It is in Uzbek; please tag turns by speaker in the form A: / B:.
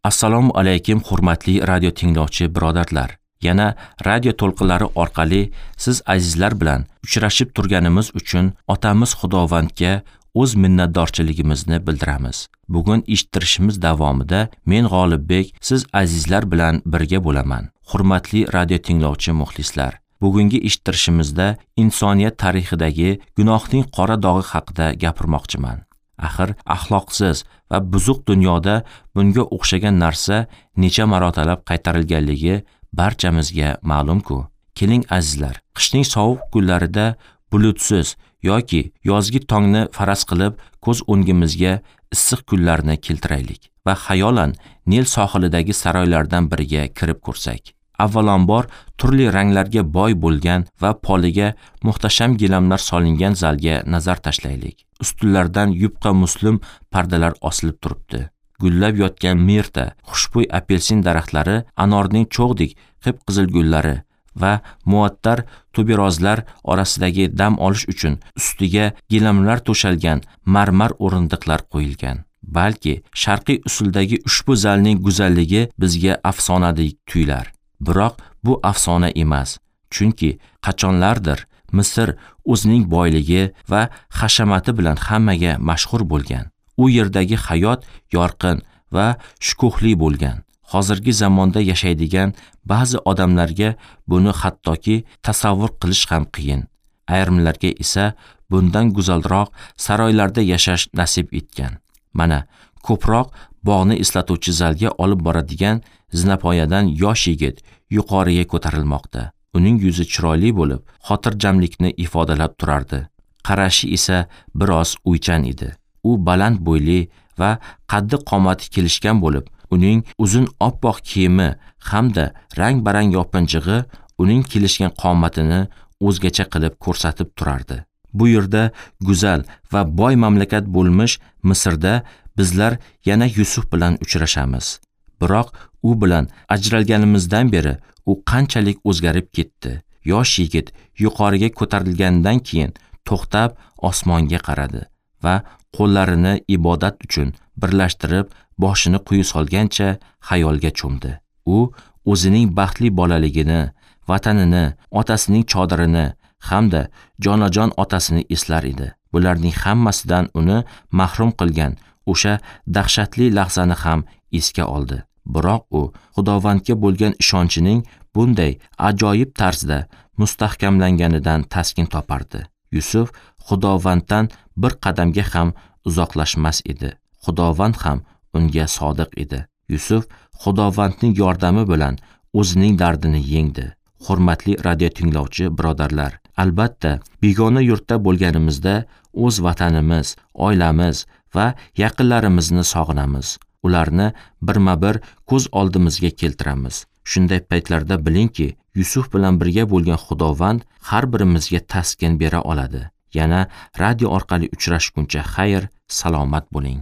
A: Assalomu alaykum hurmatli radio tinglovchi birodarlar. Yana radio to'lqinlari orqali siz azizlar bilan uchrashib turganimiz uchun otamiz Xudovandga o'z minnatdorchiligimizni bildiramiz. Bugun eshittirishimiz davomida men G'olibbek siz azizlar bilan birga bo'laman. Hurmatli radio tinglovchi muxlislar, bugungi eshittirishimizda insoniyat tarixidagi gunohning qora dog'i haqida gapirmoqchiman. Axir axloqsiz va buzuq dunyoda bunga o'xshagan narsa necha marotalab qaytarilganligi barchamizga ma'lum-ku. Keling azizlar, qishning sovuq kunlarida bulutsiz yoki yozgi tongni faraz qilib ko'z o'ngimizga issiq kunlarni keltiraylik va xayolan Nil sohilidagi saroylardan biriga kirib ko'rsak. Avvalambor turli ranglarga boy bo'lgan va poliga muhtasham gilamlar solingan zalga nazar tashlaylik. Ustunlardan yupqa muslim pardalar osilib turibdi. Gullab yotgan mirta, xushbo'y apelsin daraxtlari, anorning cho'g'dek qip-qizil gullari va muattar tuberozlar orasidagi dam olish uchun ustiga gilamlar to'shalgan marmar o'rindiqlar qo'yilgan. Balki sharqiy usuldagi ushbu zalning go'zalligi bizga afsonadek tuyular. Biroq bu afsona emas, chunki qachonlardir Misr o'zining boyligi va hashamati bilan hammaga mashhur bo'lgan. U yerdagi hayot yorqin va shukuhli bo'lgan. Hozirgi zamonda yashaydigan ba'zi odamlarga buni hattoki tasavvur qilish ham qiyin. Ayrimlarga esa bundan go'zalroq saroylarda yashash nasib etgan. Mana ko'proq bog'ni eslatuvchi zalga olib boradigan zinapoyadan yosh yigit yuqoriga ko'tarilmoqda. Uning yuzi chiroyli bo'lib, xotirjamlikni ifodalab turardi. Qarashi esa biroz o'ychan edi. U baland bo'yli va qaddi qomati kelishgan bo'lib, uning uzun oppoq kiyimi hamda rang-barang yopinchig'i uning kelishgan qomatini o'zgacha qilib ko'rsatib turardi. Bu yerda go'zal va boy mamlakat bo'lmish Misrda bizlar yana Yusuf bilan uchrashamiz. Biroq u bilan ajralganimizdan beri u qanchalik o'zgarib ketdi. Yosh yigit yuqoriga ko'tarilgandan keyin to'xtab osmonga qaradi va qo'llarini ibodat uchun birlashtirib boshini quyi solgancha xayolga cho'mdi. U o'zining baxtli bolaligini, vatanini, otasining chodirini hamda jonajon otasini eslar edi. Bularning hammasidan uni mahrum qilgan o'sha dahshatli lahzani ham esga oldi. Biroq u Xudovandga bo'lgan ishonchining bunday ajoyib tarzda mustahkamlanganidan taskin topardi. Yusuf Xudovanddan bir qadamga ham uzoqlashmas edi. Xudovand ham unga sodiq edi. Yusuf Xudovandning yordami bilan o'zining dardini yengdi. Hurmatli radio tinglovchi birodarlar, albatta begona yurtda bo'lganimizda o'z vatanimiz, oilamiz va yaqinlarimizni sog'inamiz. Ularni birma-bir ko'z oldimizga keltiramiz. Shunday paytlarda bilingki, Yusuf bilan birga bo'lgan Xudovand har birimizga taskin bera oladi. Yana radio orqali uchrashguncha xayr, salomat bo'ling.